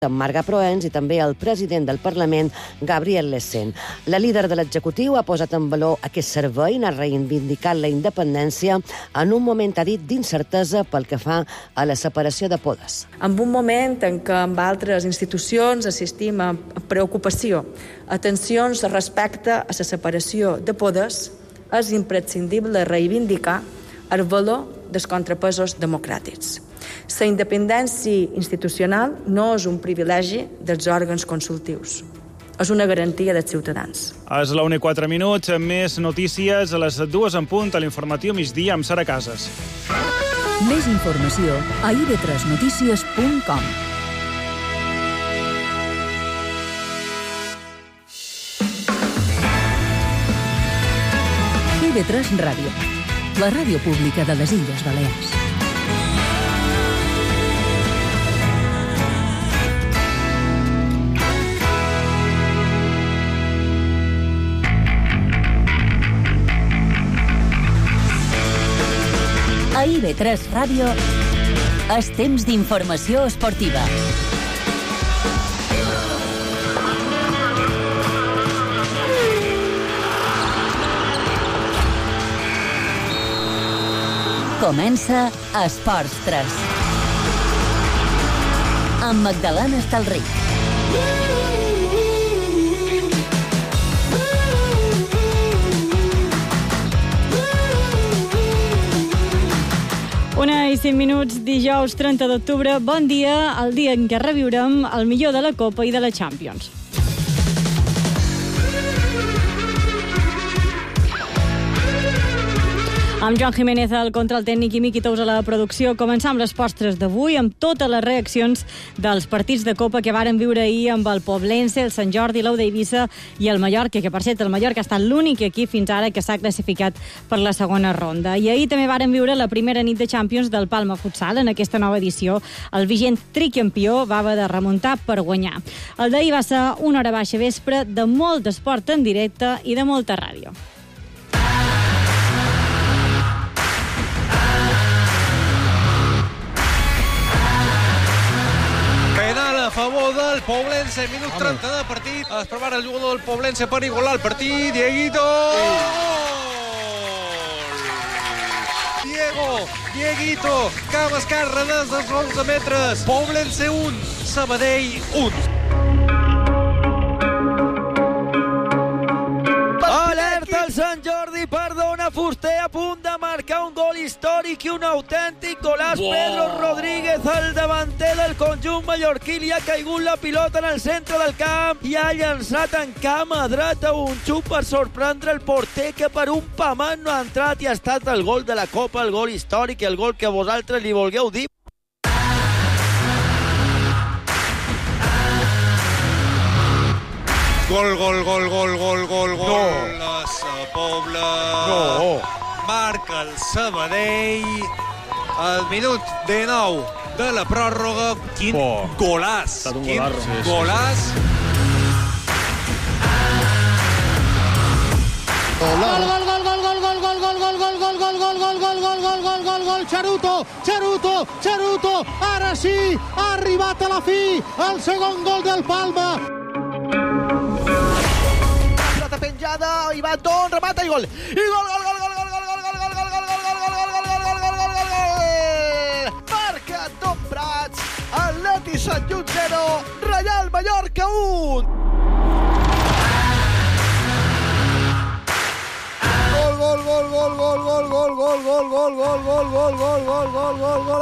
Marga Proens i també el president del Parlament, Gabriel Lecén. La líder de l'executiu ha posat en valor aquest servei, ha reivindicat la independència en un moment, ha dit, d'incertesa pel que fa a la separació de poders. En un moment en què amb altres institucions assistim a preocupació, a tensions respecte a la separació de poders, és imprescindible reivindicar el valor dels contrapesos democràtics. La independència institucional no és un privilegi dels òrgans consultius. És una garantia dels ciutadans. És la 1:04, més notícies a les 2 en punt a l'informatiu migdia amb Sara Casas. Més informació a ib3notícies.com. IB3 Ràdio, la ràdio pública de les Illes Balears. A IB3 Ràdio és temps d'informació esportiva. Comença Esports 3. Amb Magdalena Estalric. Una i 5 minuts, dijous 30 d'octubre. Bon dia, el dia en què reviurem el millor de la Copa i de la Champions. Amb Joan Jiménez al control tècnic i Miqui Tous a la producció. Començam les postres d'avui amb totes les reaccions dels partits de Copa que varen viure ahir amb el Poblense, el Sant Jordi, l'Ou d'Eivissa i el Mallorca, que per cert el Mallorca ha estat l'únic equip fins ara que s'ha classificat per la segona ronda. I ahir també varen viure la primera nit de Champions del Palma Futsal en aquesta nova edició. El vigent tricampió va haver de remuntar per guanyar. El d'ahir va ser una hora baixa vespre de molt esport en directe i de molta ràdio. A favor del Poblense, minut 30 de partit. Es prepara el jugador del Poblense per igualar el partit. Dieguito! Dieguito, cama esquerra des dels 11 metres. Poblense 1, Sabadell 1. Alerta el Sant Jordi, perdona Fuster, a punt de marcar un gol històric i un autèntic golaç. Pedro Rodríguez, el davanter del conjunt mallorquí, li ha caigut la pilota en el centre del camp i ha llançat en cama dreta un xup per sorprendre el porter, que per un pamant no ha entrat, i ha estat el gol de la Copa, el gol històric, el gol que vosaltres li volgueu dir. Gol. No. La Sa Pobla. No. Marca el Sabadell al minut 19 de la pròrroga. Quin golàs. Quin golàs. Gol, Charuto, ara sí, ha arribat a la fi, el segon gol del Palma. Pilota penjada, i va Don, remata i gol. I gol. Marca Don Prats, Atleti Sant Just 0, Reial Mallorca 1. Gol,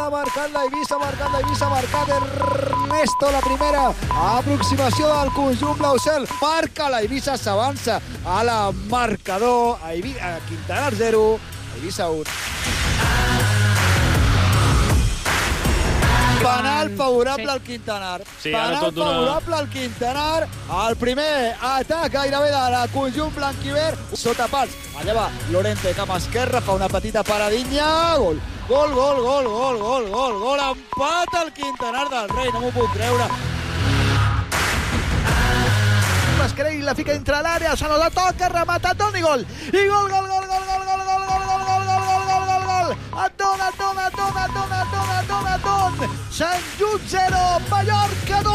ha marcat la Eivissa, marcat Ernesto, la primera aproximació del conjunt blau-cel, marca la Eivissa, s'avança a la marcador, a Quintanar 0, Eivissa 1. Penal favorable al Quintanar. Sí, Penal favorable al Quintanar. El primer atac gairebé de la conjunt blanquiverd. Sota pals. Allà va Lorente, cama esquerra, fa una petita paradinha. Gol. Empat al Quintanar del Rei, no m'ho puc creure. Mascarell la fica entre l'àrea, se la toca, remata, Don i gol. I gol. Don. Sant Just 0, Mallorca 2.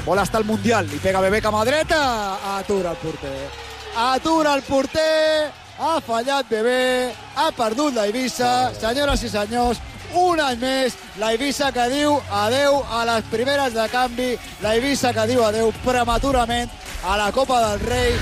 Bola hasta el Mundial, li pega Bebé cama dreta, atura el porter. Atura el porter, ha fallat Bebé, ha perdut la Eivissa. Senyores i senyors, un any més, la Eivissa que diu adeu a les primeres de canvi, la Eivissa que diu adeu prematurament a la Copa del Rei.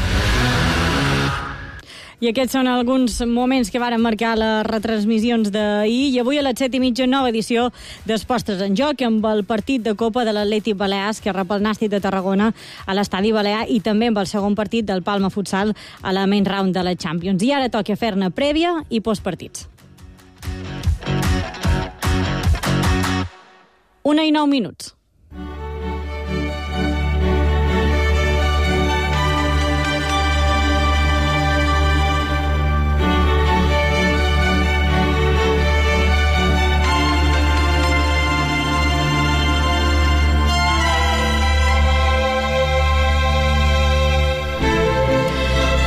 I aquests són alguns moments que varen marcar les retransmissions d'ahir, i avui a les 7:30 nova edició d'Esportes en Joc, amb el partit de Copa de l'Atlètic Balears, que rep el Nàstic de Tarragona a l'Estadi Balear, i també amb el segon partit del Palma Futsal a la main round de la Champions. I ara toca fer-ne prèvia i postpartits. 1:09.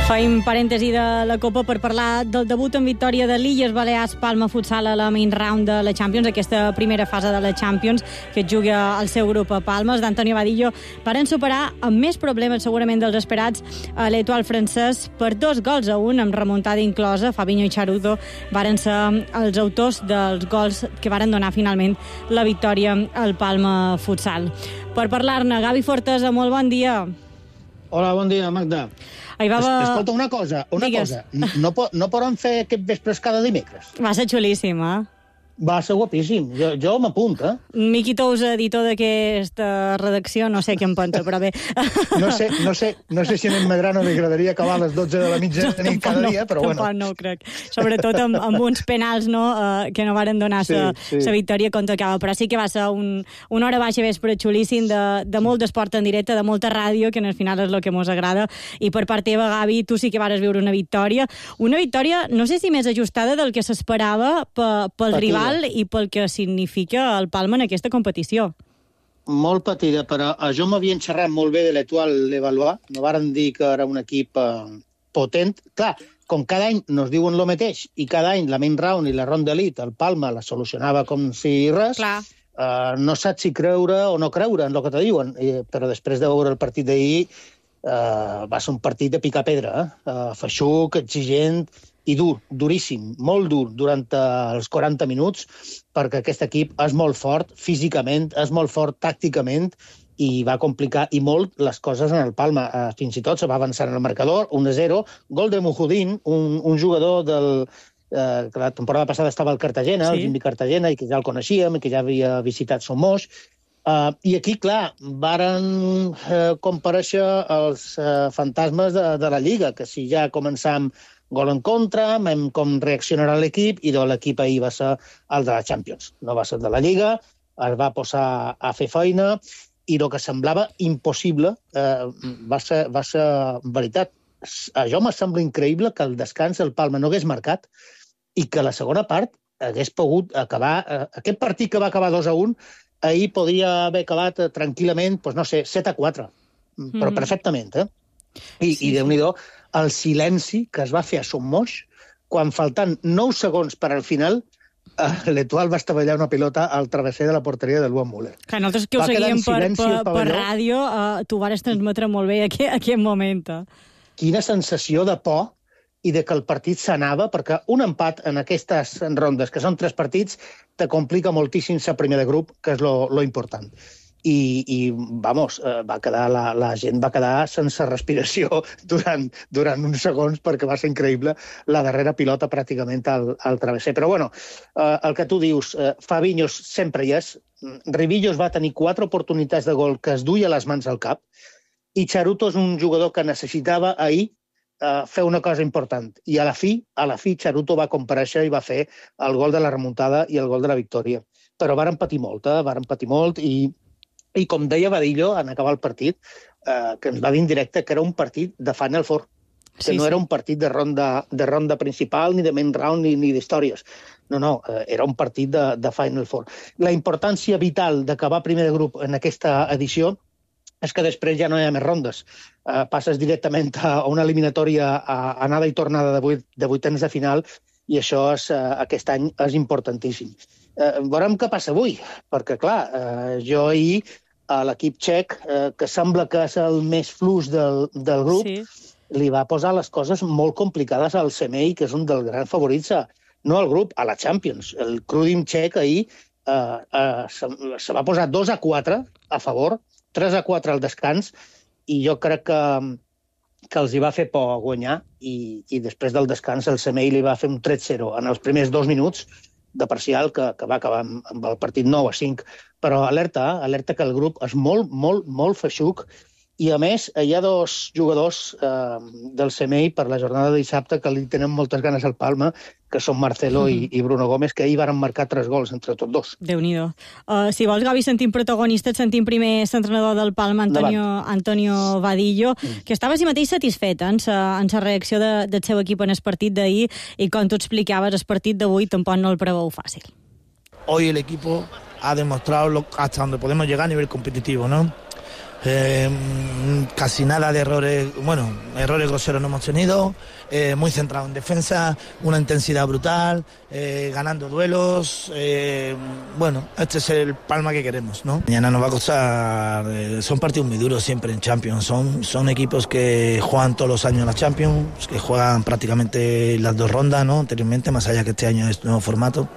Fem parèntesi de la Copa per parlar del debut en victòria de l'Illes Balears Palma Futsal a la main round de la Champions, aquesta primera fase de la Champions que es juga al seu grup a Palma. Els d'Antonio Vadillo varen superar amb més problemes segurament dels esperats a l'Etoile francès per 2-1 amb remuntada inclosa. Fabinho i Charuto varen ser els autors dels gols que varen donar finalment la victòria al Palma Futsal. Per parlar-ne, Gavi Fortesa, molt bon dia. Hola, bon dia, Magda. Escolta, una cosa. No poden fer aquest vespres cada dimecres? Va ser xulíssim, eh? Va ser guapíssim. Jo m'apunto, eh? Miqui Tous, editor d'aquesta redacció, no sé què em pensa, però bé. No sé si a en Medrano li agradaria acabar a les 12 de la mitjanit cada dia, però bueno. Tampoc no ho crec. Sobretot amb uns penals, no?, que no varen donar la victòria contra Cava. Però sí que va ser una hora baixa vespre xulíssim de molt d'esport en directe, de molta ràdio, que al final és el que mos agrada. I per part teva, Gavi, tu sí que vares viure una victòria. Una victòria, no sé si més ajustada del que s'esperava pel rival i pel que significa el Palma en aquesta competició. Molt patida, però jo m'havia xerrat molt bé de l'Etoile de Valois. No varen dir que era un equip potent. Clar, com cada any nos diuen el mateix, i cada any la main round i la ronda elite, el Palma la solucionava com si res, no saps si creure o no creure en el que te diuen. Però després de veure el partit d'ahir, va ser un partit de picar pedra, feixuc, exigent, i dur, duríssim, molt dur durant els 40 minuts, perquè aquest equip és molt fort físicament, és molt fort tàcticament, i va complicar i molt les coses en el Palma. Fins i tot se va avançar en el marcador, 1-0, gol de Mujudin, un jugador que la temporada passada estava al Cartagena, el Jimmy Cartagena, i que ja el coneixíem, i que ja havia visitat Somos. I aquí, clar, varen comparèixer els fantasmes de la Lliga, que si ja començam gol en contra, com reaccionarà l'equip, i l'equip ahir va ser el de la Champions. No va ser de la Lliga, es va posar a fer feina, i el que semblava impossible va ser veritat. A jo me sembla increïble que al descans el Palma no hagués marcat i que la segona part hagués pogut acabar... Aquest partit que va acabar 2-1, ahir podria haver acabat tranquil·lament, no sé, 7-4, però perfectament, eh? I Déu-n'hi-do, el silenci que es va fer a Somos quan faltant 9 segons per al final l'Etoile va estavellar una pilota al travesser de la porteria del Luan Müller. Que nosaltres que ho seguíem per ràdio, tu vares transmetre molt bé aquest moment. Quina sensació de por i de que el partit s'anava, perquè un empat en aquestes rondes, que són 3 partits, te complica moltíssim ser primer de grup, que és lo important. I vamos, la gent va quedar sense respiració durant uns segons, perquè va ser increïble la darrera pilota pràcticament al travesser. Però bueno, el que tu dius, Fabinho sempre hi és, Rivillos va tenir 4 oportunitats de gol que es duia les mans al cap, i Charuto és un jugador que necessitava ahir fer una cosa important. I a la fi, Charuto va comparèixer i va fer el gol de la remuntada i el gol de la victòria. Però varen patir molt, i com deia Vadillo en acabar el partit, que ens va dir en directe que era un partit de Final Four, que no era un partit de ronda principal, ni de main round, ni d'històries. No, era un partit de Final Four. La importància vital d'acabar primer de grup en aquesta edició és que després ja no hi ha més rondes. Passes directament a una eliminatòria a anada i tornada de vuitens de final, i això aquest any és importantíssim. Veurem què passa avui, perquè, clar, jo ahir a l'equip txec, que sembla que és el més fluix del grup, li va posar les coses molt complicades al CMI, que és un dels grans favorits, no al grup, a la Champions. El Crudim txec ahir se va posar 2-4 a favor, 3-4 al descans, i jo crec que els hi va fer por guanyar, i després del descans el CMI li va fer un 3-0 en els primers 2 minuts de parcial, que va acabar amb el partit 9-5. Però alerta que el grup és molt, molt, molt feixuc, i a més hi ha 2 jugadors del CMI per la jornada de dissabte que li tenen moltes ganes al Palma, que són Marcelo i Bruno Gómez, que ahir van marcar 3 gols entre tots dos. Déu-n'hi-do. Si vols, Gavi, sentim protagonista, et sentim primer l'entrenador del Palma, Antonio Vadillo, que estava així mateix satisfet en la reacció del seu equip en el partit d'ahir, i com tu explicaves, el partit d'avui tampoc no el preveu fàcil. Hoy el equipo ha demostrado hasta donde podemos llegar a nivel competitivo, ¿no? Casi nada de errores, errores groseros no hemos tenido, muy centrado en defensa, una intensidad brutal, ganando duelos, este es el Palma que queremos, ¿no? Mañana nos va a costar, son partidos muy duros siempre en Champions, son equipos que juegan todos los años en la Champions, que juegan prácticamente las 2 rondas, ¿no? Anteriormente, más allá que este año es nuevo formato,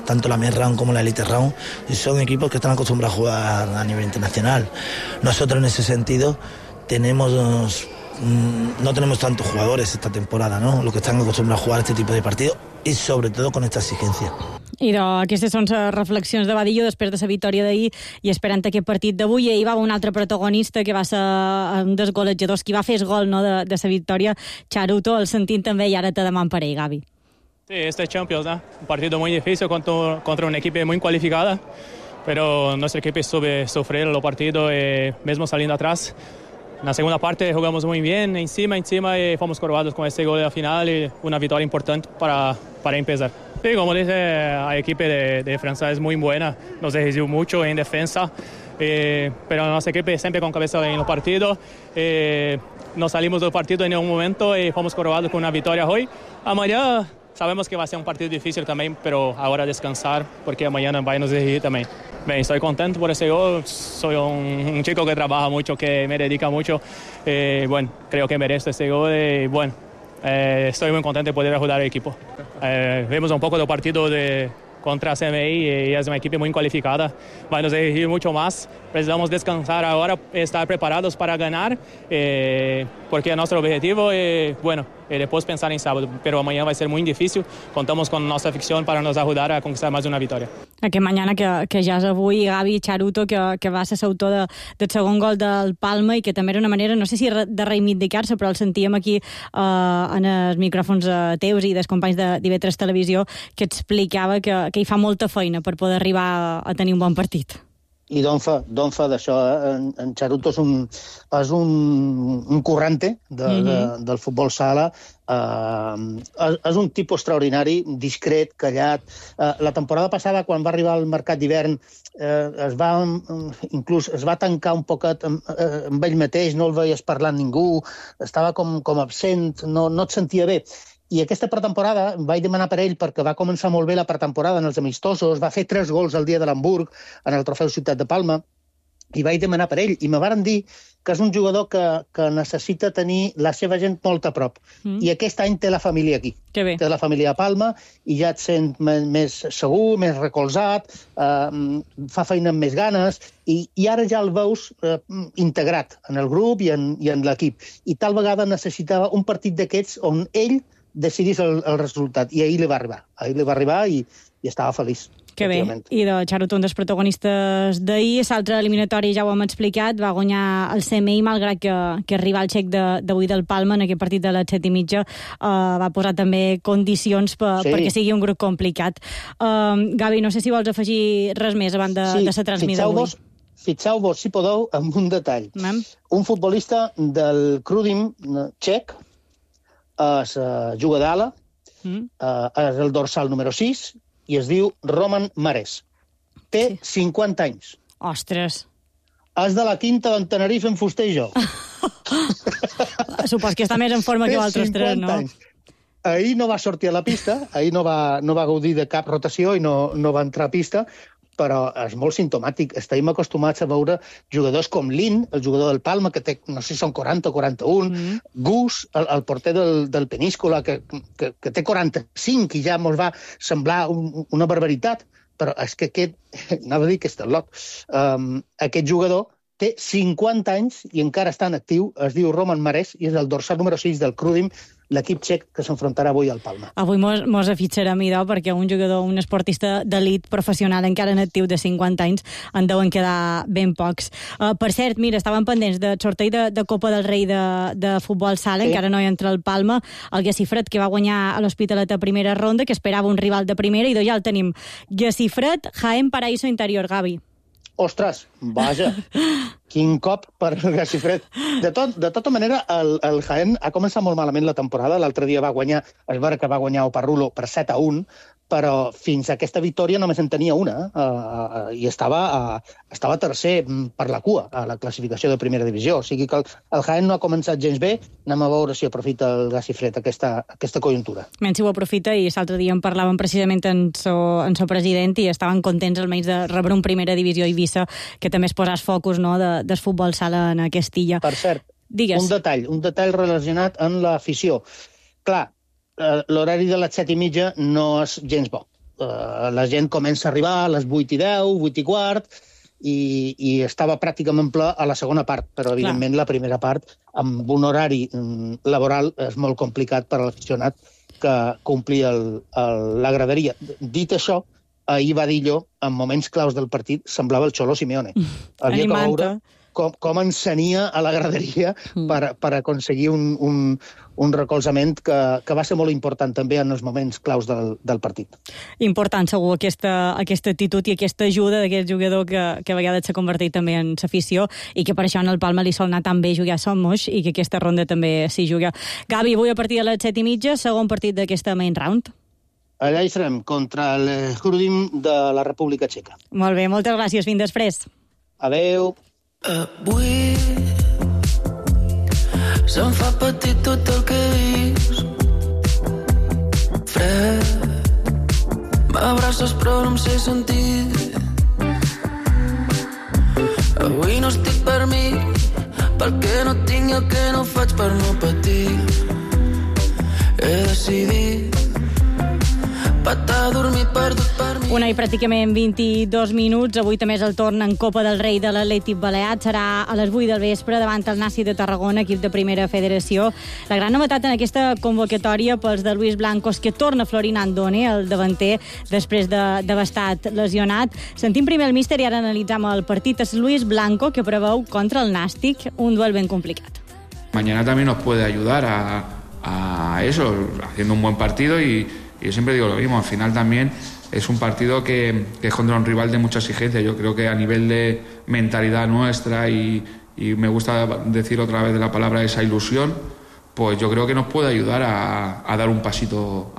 tanto la Main Round como la Elite Round, y son equipos que están acostumbrados a jugar a nivel internacional. Nosotros en ese sentido no tenemos tantos jugadores esta temporada, ¿no? Los que están acostumbrados a jugar este tipo de partidos y sobre todo con esta exigencia. I aquestes són les reflexions de Vadillo després de la victòria d'ahir i esperant aquest partit d'avui. Ahir va haver un altre protagonista que va ser un dels golejadors, qui va fer el gol de la victòria, Charuto, el sentim també, i ara te deman per ell, Gavi. Sí, este es Champions, ¿no? Un partido muy difícil contra una equipo muy cualificada, pero nuestro equipo supe sufrir los partidos, mismo saliendo atrás. En la segunda parte jugamos muy bien, encima y fomos coronados con este gol de la final y una victoria importante para empezar. Sí, como dice, la equipo de Francia es muy buena, nos exigió mucho en defensa, pero nuestra equipo siempre con cabeza en los partidos. Nos salimos del partido en un momento y fomos coronados con una victoria hoy. Amanhã sabemos que va a ser un partido difícil también, pero ahora descansar, porque mañana va a nos exigir también. Bien, estoy contento por ese gol. Soy un chico que trabaja mucho, que me dedica mucho. Creo que merece ese gol. Estoy muy contento de poder ayudar al equipo. Vemos un poco del partido contra CMI y es una equipo muy cualificada. Va a nos exigir mucho más. Precisamos descansar ahora, estar preparados para ganar, porque nuestro objetivo es, después pensar en sábado, pero mañana va a ser muy difícil. Contamos con nuestra afición para nos ayudar a conquistar más de una victoria. Aquest mañana que ja és avui, Gavi, Charuto, que va ser l'autor del segon gol del Palma i que també era una manera, no sé si de reivindicar-se, però el sentíem aquí en els micròfons teus i dels companys d'IV3 Televisió, que explicava que hi fa molta feina per poder arribar a tenir un bon partit. I d'on fa d'això? En Charuto és un currante del futbol sala, és un tipus extraordinari, discret, callat. La temporada passada, quan va arribar al mercat d'hivern, es va tancar un poquet amb ell mateix, no el veies parlant ningú, estava com absent, no et sentia bé. I aquesta pretemporada vaig demanar per ell, perquè va començar molt bé la pretemporada en els amistosos, va fer 3 gols el dia de l'Hamburg en el trofeu Ciutat de Palma, i vaig demanar per ell, i me varen dir que és un jugador que necessita tenir la seva gent molt a prop. I aquest any té la família aquí. Té la família a Palma, i ja et sent més segur, més recolzat, fa feina amb més ganes, i ara ja el veus integrat en el grup i en l'equip. I tal vegada necessitava un partit d'aquests on ell decidís el resultat, i ahir li va arribar i estava feliç. Que bé, i de Charuto, un dels protagonistes d'ahir. L'altre eliminatori ja ho hem explicat, va guanyar el CMI, malgrat que el rival txec d'avui del Palma, en aquest partit de les 7:30, va posar també condicions perquè sigui un grup complicat. Gavi, no sé si vols afegir res més abans de la transmissió d'avui. Fixeu-vos, si podeu, en un detall. Un futbolista del Crudim txec juga d'ala, és el dorsal número 6, i es diu Roman Mares. Té 50 anys. Ostres. És de la quinta d'en Tenerife en Fuster i jo. Supos que està més en forma que altres 3, no? ahir no va sortir a la pista, ahir no va gaudir de cap rotació i no va entrar a pista, però és molt simptomàtic. Estem acostumats a veure jugadors com Lin, el jugador del Palma, que té, no sé si són 40 o 41, Gus, el porter del Peníscola, que té 45 i ja mos va semblar una barbaritat, però és que aquest, anava a dir que és tot lot, aquest jugador té 50 anys i encara està en actiu, es diu Roman Marès i és el dorsal número 6 del Krudim, l'equip txec que s'enfrontarà avui al Palma. Avui mos afitxarem, idò, perquè un jugador, un esportista d'elit professional encara en actiu de 50 anys en deuen quedar ben pocs. Per cert, mira, estaven pendents del sorteig de Copa del Rei de futbol sala, encara no hi entra el Palma, el Gacifred, que va guanyar a l'Hospitalet a primera ronda, que esperava un rival de primera, i ja el tenim. Gacifred, Jaén, Paraíso Interior, Gavi. Ostres, vaja, quin cop per el Gacifred. De tota manera, el Jaén ha començat molt malament la temporada. L'altre dia va guanyar, es veure que va guanyar Oparrulo per 7-1, però fins a aquesta victòria només en tenia una, i estava tercer per la cua a la classificació de primera divisió. O sigui que el Jaén no ha començat gens bé. Anem a veure si aprofita el Gacifred aquesta conjuntura. Menys si ho aprofita, i l'altre dia en parlaven precisament en so president i estaven contents almenys de rebre un primera divisió a Eivissa, que també es posàs focus, no, del futbol sala en aquesta illa. Per cert, digues. Un detall relacionat amb l'afició. Clar, l'horari de les 7:30 no és gens bo. La gent comença a arribar a les 8:10, 8:15, i estava pràcticament ple a la segona part, però evidentment la primera part, amb un horari laboral, és molt complicat per a l'aficionat que complir la graderia. Dit això, ahir Badillo, en moments claus del partit, semblava el Xolo Simeone. Havia que veure com ensenia a la graderia per aconseguir un recolzament que va ser molt important també en els moments claus del partit. Important, segur, aquesta actitud i aquesta ajuda d'aquest jugador que a vegades s'ha convertit també en l'afició i que per això en el Palma li sol anar tan bé jugar a Somos i que aquesta ronda també s'hi juga. Gavi, avui a partir de les 7:30, segon partit d'aquesta main round. Allà hi serem, contra el Krudim de la República Txeca. Molt bé, moltes gràcies. Fins després. Adeu. Avui se'm fa petit tot el que he vist. Fred, m'abraces però no em sé sentir. Avui no estic per mi, perquè no tinc i el que no faig per no patir. He decidit patar, dormir, perdut per mi. Una i pràcticament 22 minuts. Avui també és el torn en Copa del Rei de l'Atlètic Balear. Serà a les 8 del vespre davant el Nàstic de Tarragona, equip de primera federació. La gran novetat en aquesta convocatòria pels de Luis Blanco és que torna Florin Andone, el davanter, després d'haver estat lesionat. Sentim primer el míster i ara analitzam el partit. És Luis Blanco, que preveu contra el Nàstic un duel ben complicat. Mañana también nos puede ayudar a eso, haciendo un buen partido y yo siempre digo lo mismo, al final también es un partido que es contra un rival de mucha exigencia. Yo creo que a nivel de mentalidad nuestra y me gusta decir otra vez la palabra esa ilusión, pues yo creo que nos puede ayudar a dar un pasito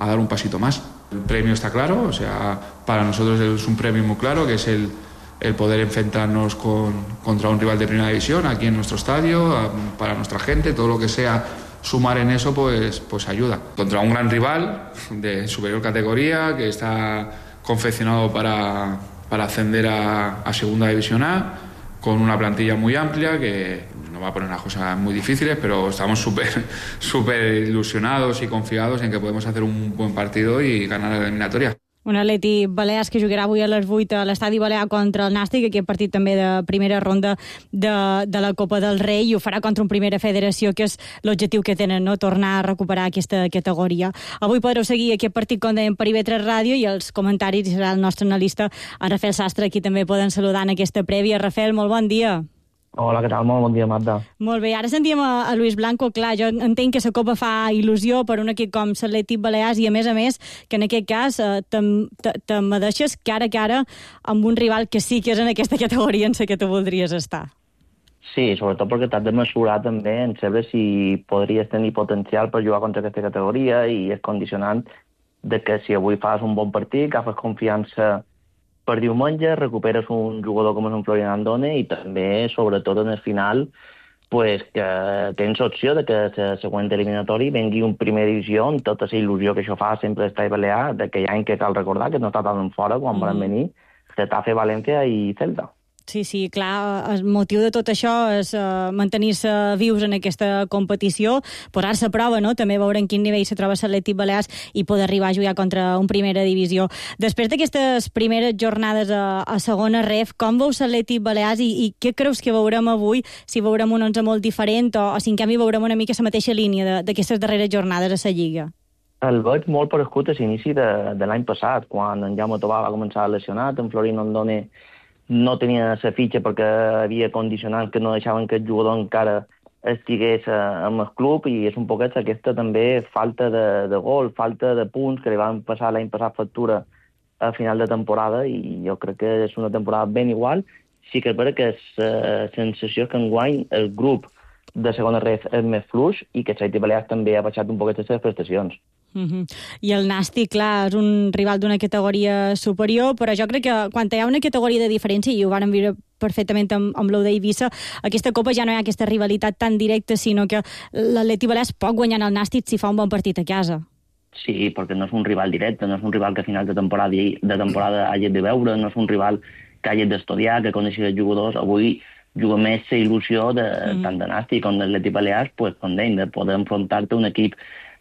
más. El premio está claro, o sea, para nosotros es un premio muy claro, que es el poder enfrentarnos contra un rival de primera división aquí en nuestro estadio, para nuestra gente, todo lo que sea sumar en eso pues ayuda. Contra un gran rival de superior categoría que está confeccionado para ascender a Segunda División A, con una plantilla muy amplia que nos va a poner las cosas muy difíciles, pero estamos súper ilusionados y confiados en que podemos hacer un buen partido y ganar la eliminatoria. Un Atlètic Balears que jugarà avui a les 8 a l'Estadi Balear contra el Nàstic, aquest partit també de primera ronda de la Copa del Rei, i ho farà contra un Primera Federació, que és l'objectiu que tenen, no? Tornar a recuperar aquesta categoria. Avui podreu seguir aquest partit, com dèiem, per IB3 Ràdio, i els comentaris serà el nostre analista, en Rafael Sastre, aquí també poden saludar en aquesta prèvia. Rafael, molt bon dia. Hola, què tal? Molt bon dia, Marta. Molt bé, ara sentíem a Luis Blanco. Clar, jo entenc que la Copa fa il·lusió per un equip com l'Atlètic Balears, i a més, que en aquest cas te deixes cara a cara amb un rival que sí que és en aquesta categoria en la que tu voldries estar. Sí, sobretot perquè t'has de mesurar també en saber si podries tenir potencial per jugar contra aquesta categoria, i és condicionant de que si avui fas un bon partit, agafes confiança per diumenge, recuperes un jugador com és un Florin Andone, i també, sobretot en el final, pues que tens opció de que la següent eliminatori vengui un primera divisió amb tota la il·lusió que això fa sempre d'Estadi Balear, d'aquell any que cal recordar que no està tan fora quan van venir Getafe, València i Celta. Sí, clar, el motiu de tot això és mantenir-se vius en aquesta competició, posar-se a prova, no? També veure en quin nivell se troba l'Atlètic Balears i poder arribar a jugar contra un primera divisió. Després d'aquestes primeres jornades a segona ref, com veus l'Atlètic Balears i què creus que veurem avui? Si veurem un 11 molt diferent o si en canvi veurem una mica la mateixa línia d'aquestes darreres jornades a la Lliga? El veig molt paregut a l'inici de l'any passat, quan en Jaume Tobà va començar lesionat, en Florin Ondone no tenia la fitxa perquè havia condicionants que no deixaven que el jugador encara estigués amb el club, i és un poquet aquesta també falta de gol, falta de punts que li van passar l'any passat factura a final de temporada, i jo crec que és una temporada ben igual. Sí que és vera que la sensació que enguany el grup de segona ref és més fluix i que l'Atlètic Balears també ha baixat un poquet les seves prestacions. I el Nàstic, clar, és un rival d'una categoria superior, però jo crec que quan hi ha una categoria de diferència, i ho vàrem viure perfectament amb l'Ou d'Eivissa, aquesta Copa ja no hi ha aquesta rivalitat tan directa, sinó que l'Atlètic Balears pot guanyar el Nàstic si fa un bon partit a casa. Sí, perquè no és un rival directe, no és un rival que a final de temporada hagi de veure, no és un rival que hagi d'estudiar, que coneixi els jugadors. Avui juga més la il·lusió tant de Nàstic com de l'Atlètic Balears, com deim, de poder enfrontar-te a un equip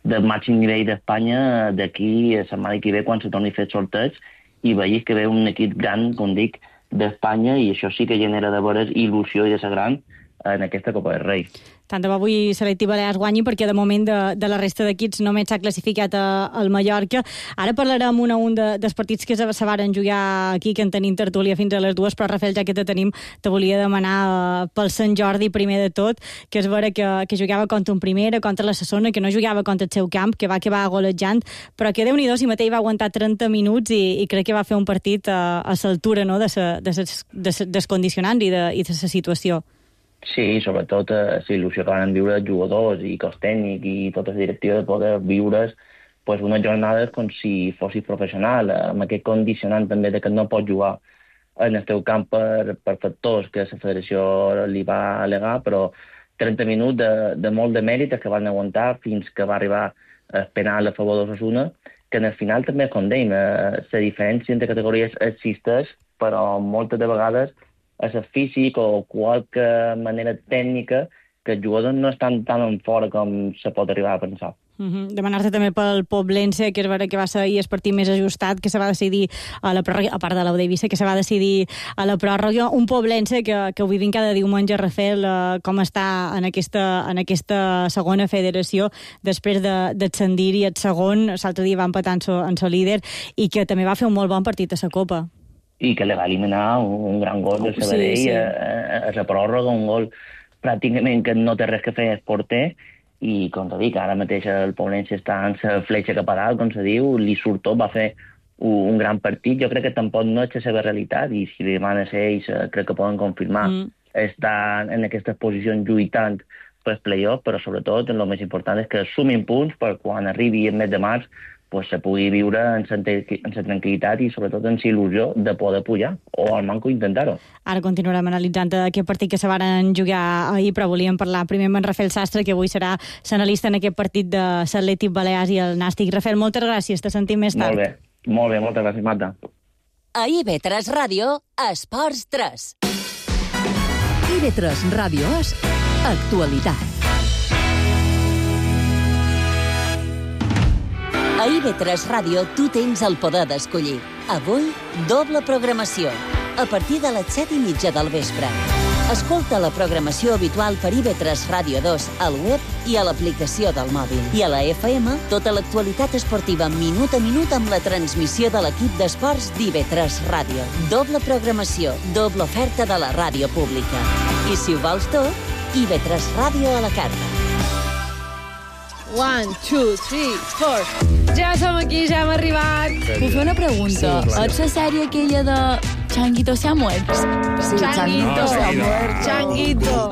del màxim nivell d'Espanya d'aquí a la setmana que ve, quan se torni a fer sorteig, i vegis que ve un equip gran, com dic, d'Espanya, i això sí que genera de veres il·lusió i de ser gran en aquesta Copa del Rei. Tant de bo avui l'Atlètic Balears guanyi, perquè de moment de la resta d'equips només s'ha classificat al Mallorca. Ara parlarem un a un dels partits que se varen jugar aquí, que en tenim tertúlia fins a les 2, però Rafael, ja que te tenim, te volia demanar pel Sant Jordi primer de tot, que és vera que jugava contra un primera, contra la Sassona, que no jugava contra el seu camp, que va acabar golejant, però que Déu-n'hi-do, si mateix va aguantar 30 minuts i crec que va fer un partit a l'altura, no?, dels condicionants i de la situació. Sí, sobretot la il·lusió que van viure els jugadors i cos tècnic i tota la directiva de poder viure's unes jornades com si fossis professional, amb aquest condicionant també de que no pots jugar en el teu camp per factors que la federació li va al·legar, però 30 minuts de molt de mèrit que van aguantar fins que va arribar el penal a favor d'Osasuna, que en el final també, com dèiem, la diferència entre categories existeix, però moltes de vegades és el físic o qualque manera tècnica que els jugadors no estan tan en fora com se pot arribar a pensar. Demanar-te també pel Poblense, que és vera que va ser el partit més ajustat, que se va decidir a la pròrroga, a part de l'Ou d'Eivissa, que se va decidir a la pròrroga. Un Poblense que ho vivim cada diumenge, Rafael, com està en aquesta segona federació, després d'ascendir-hi el segon, l'altre dia va empatar en el líder, i que també va fer un molt bon partit a la Copa. I que li va eliminar un gran gol de Sabadell a la pròrroga, un gol pràcticament que no té res que fer el porter, i com te dic, ara mateix el Poblense està en la fletxa cap a dalt, com se diu, li surt tot, va fer un gran partit. Jo crec que tampoc no és la seva realitat, i si li demanes a ells crec que poden confirmar estar en aquestes posicions lluitant per play-off, però sobretot el més important és que sumin punts per quan arribi el mes de març se pugui viure en la tranquil·litat i sobretot en la il·lusió de poder pujar, o al manco intentar-ho. Ara continuarem analitzant aquest partit que se varen jugar ahir, però volíem parlar primer amb en Rafael Sastre, que avui serà l'analista en aquest partit de l'Atlètic Balears i el Nàstic. Rafael, moltes gràcies, te sentim més tard. Molt bé, moltes gràcies, Marta. A IB3 Ràdio, Esports 3. IB3 Ràdio és actualitat. A IB3 Ràdio tu tens el poder d'escollir. Avui, doble programació. A partir de les 7:30 del vespre. Escolta la programació habitual per IB3 Ràdio 2 al web i a l'aplicació del mòbil. I a la FM, tota l'actualitat esportiva minut a minut amb la transmissió de l'equip d'esports d'IB3 Ràdio. Doble programació, doble oferta de la ràdio pública. I si ho vols tot, IB3 Ràdio a la carta. 1, 2, 3, 4. Ja som aquí, ja hem arribat. Puc fer una pregunta? És la sèrie aquella de Changuito se ha muerto? Sí, Changuito se ha muerto. Changuito.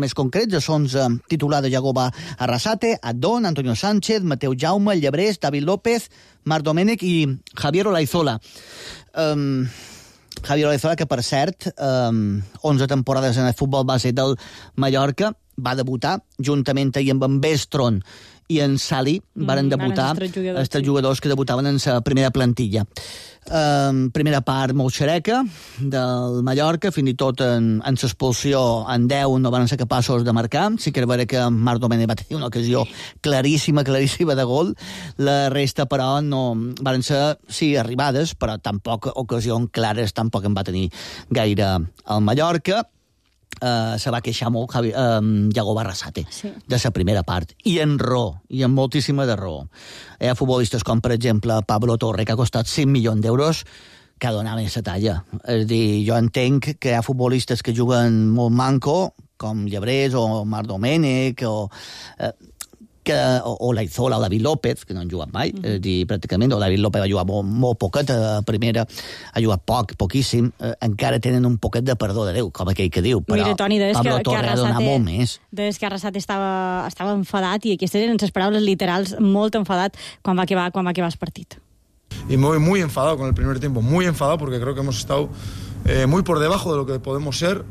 més concrets, els 11 titulars de Yagoba Arrasate, Adón, Antonio Sánchez, Mateu Jaume, Llebrés, David López, Marc Domènech i Javier Olaizola. Javier Olaizola, que per cert, 11 temporades en el futbol base del Mallorca, va debutar juntament ahir amb en Bestron i en Sali, varen debutar els 3 jugadors que debutaven en la primera plantilla. Primera part molt xereca del Mallorca, fins i tot en l'expulsió en 10 no van ser capaços de marcar. Sí que era vera que Marc Domènech va tenir una ocasió claríssima de gol. La resta, però, no van ser, sí, arribades, però tampoc ocasions clares, tampoc en va tenir gaire el Mallorca. Se va queixar molt Yagoba Arrasate de la primera part, i en raó, i amb moltíssima de raó. Hi ha futbolistes com, per exemple, Pablo Torre, que ha costat 5 milions d'euros, que donaven la talla. És a dir, jo entenc que hi ha futbolistes que juguen molt manco, com Llebrés o Marc Domènech, o Laizola o David López, que no han jugat mai, és a dir, pràcticament, o David López va jugar molt poquet a primera, ha jugat poquíssim, encara tenen un poquet de perdó de Déu, com aquell que diu, però Toni, Pablo Torre ha donat molt més. Des que Arrasate estava enfadat, i aquestes eren les paraules literals, molt enfadat quan va acabar el partit. Y me voy muy enfadado con el primer tiempo, muy enfadado, porque creo que hemos estado muy por debajo de lo que podemos ser,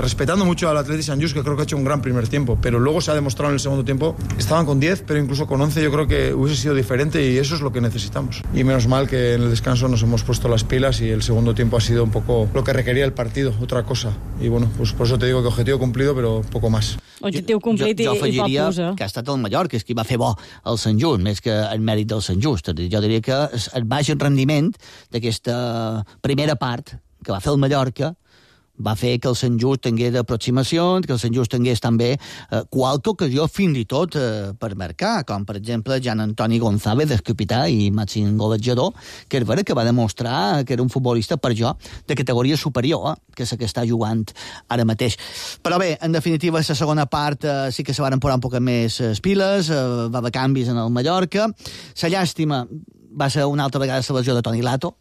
respetando mucho al Athletic Sant Just, que creo que ha hecho un gran primer tiempo, pero luego se ha demostrado en el segundo tiempo, estaban con 10, pero incluso con 11 yo creo que hubiese sido diferente, y eso es lo que necesitamos. Y menos mal que en el descanso nos hemos puesto las pilas y el segundo tiempo ha sido un poco lo que requería el partido, otra cosa. Y bueno, pues por eso te digo que objetivo cumplido, pero poco más. Objectiu complit jo afegiria i que ha estat el Mallorca, és qui va fer bo el Sant Just, més que el mèrit del Sant Just. Jo diria que el baix rendiment d'aquesta primera part que va fer el Mallorca va fer que el Sant Just tingués aproximacions, que el Sant Just tingués també qualque ocasió fins i tot per marcar, com per exemple Jan Antoni González, el capità i màxim golejador, que és vera que va demostrar que era un futbolista, per jo, de categoria superior, que és el que està jugant ara mateix. Però bé, en definitiva, la segona part sí que se van posar un poc més piles, va haver canvis en el Mallorca. La llàstima va ser una altra vegada la lesió de Toni Lato.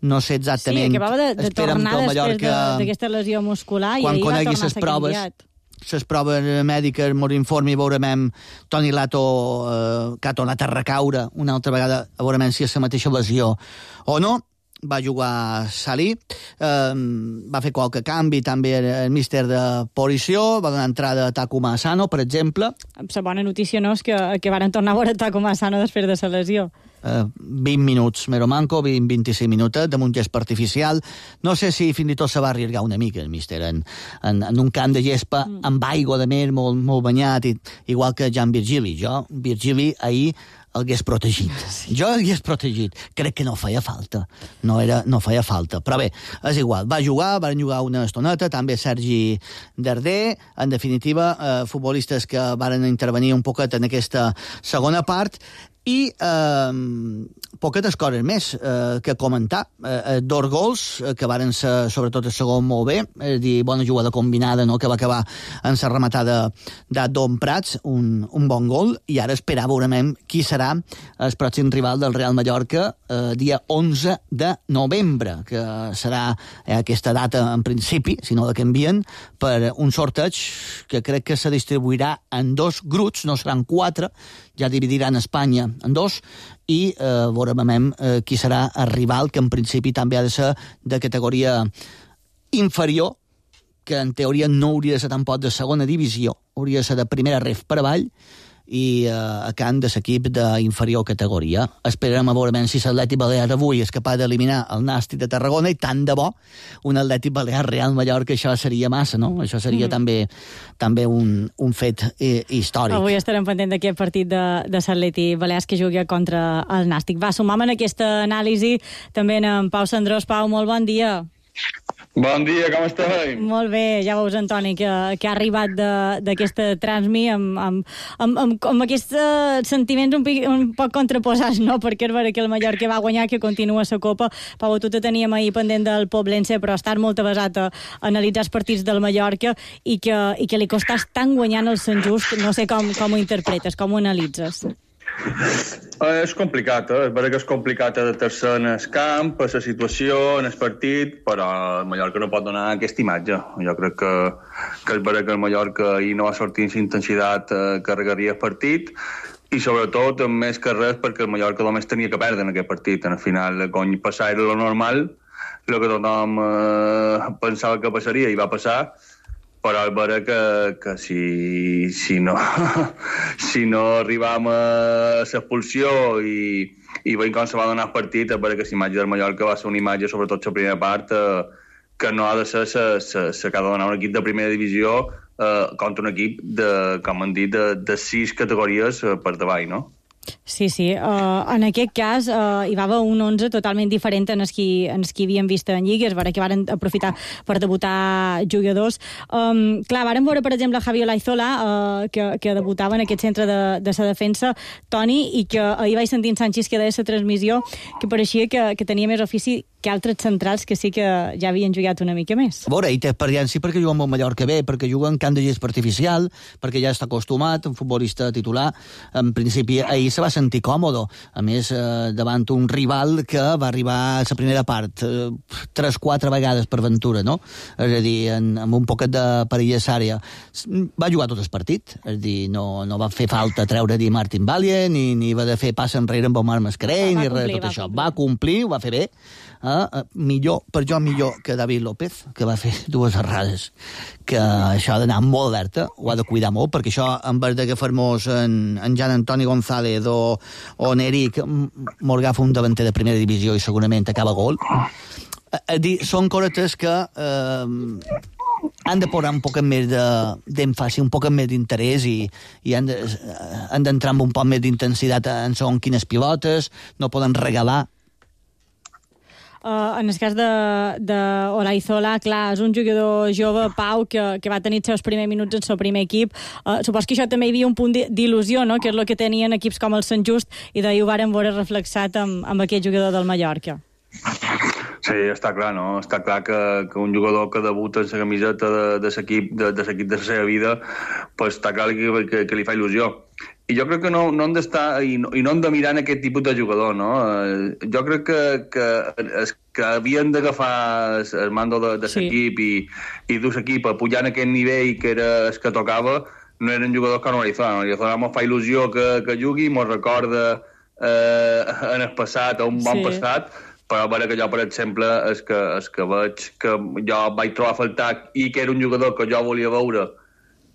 No sé exactament... Sí, acabava de tornar després d'aquesta lesió muscular i ahir va tornar a ser canviat. Les proves mèdiques ens informen i veurem Toni Lato que ha tornat a recaure una altra vegada, veurem si és la mateixa lesió o no. Va jugar Salí, va fer qualque canvi també el míster de posició, va donar entrada a Takuma Asano, per exemple. La bona notícia no és que van tornar a veure Takuma Asano després de la lesió. 20 minuts, mero manco, 20-25 minuts, damunt gest artificial. No sé si fins i tot se va arriesgar una mica el míster en un camp de gespa amb aigua de mer, molt banyat, igual que Jan Virgili. Virgili ahir el hagués protegit. Jo el hagués protegit. Crec que no feia falta. No feia falta. Però bé, és igual. Van jugar una estoneta, també Sergi Darder, en definitiva, futbolistes que van intervenir un poquet en aquesta segona part, i poquetes coses més que comentar. 2 gols que varen ser, sobretot el segon, molt bé, és a dir, bona jugada combinada, no?, que va acabar en la rematada d'Adon Prats, un bon gol, i ara esperar veurem qui serà el pròxim rival del Real Mallorca dia 11 de novembre, que serà aquesta data en principi, si no la canvien, per un sorteig que crec que se distribuirà en 2 grups, no seran 4, ja dividiran Espanya en 2, i veurem qui serà el rival, que en principi també ha de ser de categoria inferior, que en teoria no hauria de ser tampoc de segona divisió, hauria de ser de primera ref per avall, i a camp de l'equip d'inferior categoria. Esperarem a veure si l'Atlètic Balear avui és capaç d'eliminar el Nàstic de Tarragona, i tant de bo un Atlètic Balear Real Mallorca, això seria massa, no? Això seria també un fet històric. Avui estarem pendent d'aquest partit de l'Atlètic Balears que jugui contra el Nàstic. Va, sumam en aquesta anàlisi també en Pau Sandrós. Pau, molt bon dia. Bon dia, com esteu? Molt bé, ja veus, Antoni, que ha arribat d'aquesta transmi amb aquests sentiments un poc contraposats, no? Perquè és vera que el Mallorca va guanyar, que continua la Copa. Pau, tu te teníem ahir pendent del Poblense, però estàs molt avasat a analitzar els partits del Mallorca i que li costàs tant guanyant el Sant Just. No sé com ho interpretes, com ho analitzes. És complicat, és veritat que és complicat adaptar-se en el camp, a la situació, en el partit, però el Mallorca no pot donar aquesta imatge. Jo crec que és veritat que el Mallorca ahir no va sortir amb la intensitat que regaria el partit, i sobretot, més que res, perquè el Mallorca només tenia que perdre en aquest partit. En el final, quan passar era lo normal, el que tothom pensava que passaria i va passar, però és veritat que si no arribam a l'expulsió i veiem com se va donar el partit, és veritat que l'imatge del Mallorca va ser una imatge, sobretot la primera part, que no ha de ser la que ha de donar un equip de primera divisió contra un equip, com han dit, de 6 categories per davall, no? Sí. En aquest cas hi va haver un 11 totalment diferent en els qui havíem vist en Lliga. És vera que varen aprofitar per debutar jugadors. Clar, varen veure, per exemple, Javi Olaizola, que debutava en aquest centre de sa defensa, Toni, i que ahir vaig sentir en Sánchez que deia la transmissió que pareixia que tenia més ofici que altres centrals que sí que ja havien jugat una mica més. A veure, ell té experiència perquè juga amb el Mallorca bé, perquè juga en camp de gespa artificial, perquè ja està acostumat, un futbolista titular. En principi, ahir se va sentir còmode. A més, davant un rival que va arribar a la primera part 3-4 vegades per Ventura, no? És a dir, amb un poquet de perillesària. Va jugar tot el partit, és a dir, no va fer falta treure Di Martin Valle, ni va de fer pas enrere amb Omar Mascarell, ni res de tot això. Va complir, ho va fer bé. Millor que David López, que va fer 2 errades, que això ha d'anar molt alerta, ho ha de cuidar molt, perquè això, en vez d'agafar-nos en Jan Antoni González o en Eric, m'agafa un davanter de primera divisió i segurament acaba gol. Són coretes que han de posar un poc més d'èmfasi, un poc més d'interès i han d'entrar amb un poc més d'intensitat en segons quines pilotes, no poden regalar. En el cas d'Olaizola, clar, és un jugador jove, Pau, que va tenir els seus primers minuts en el seu primer equip. Supos que això també hi havia un punt d'il·lusió, no?, que és el que tenien equips com el Sant Just, i d'ahir ho varen veure reflexat amb aquest jugador del Mallorca. Sí, està clar, no? Està clar que un jugador que debuta en la camiseta de l'equip de la seva vida, pues està clar que li fa il·lusió. I jo crec que no hem d'estar i no hem de mirar en aquest tipus de jugador, no? Jo crec que havien d'agafar el mando de l'equip i dur l'equip a pujar en aquest nivell que era el que tocava, no eren jugadors com Olaizola. Olaizola ens fa il·lusió que jugui, ens recorda en el passat, un bon passat, però a veure que jo, per exemple, és que veig que jo vaig trobar a faltar i que era un jugador que jo volia veure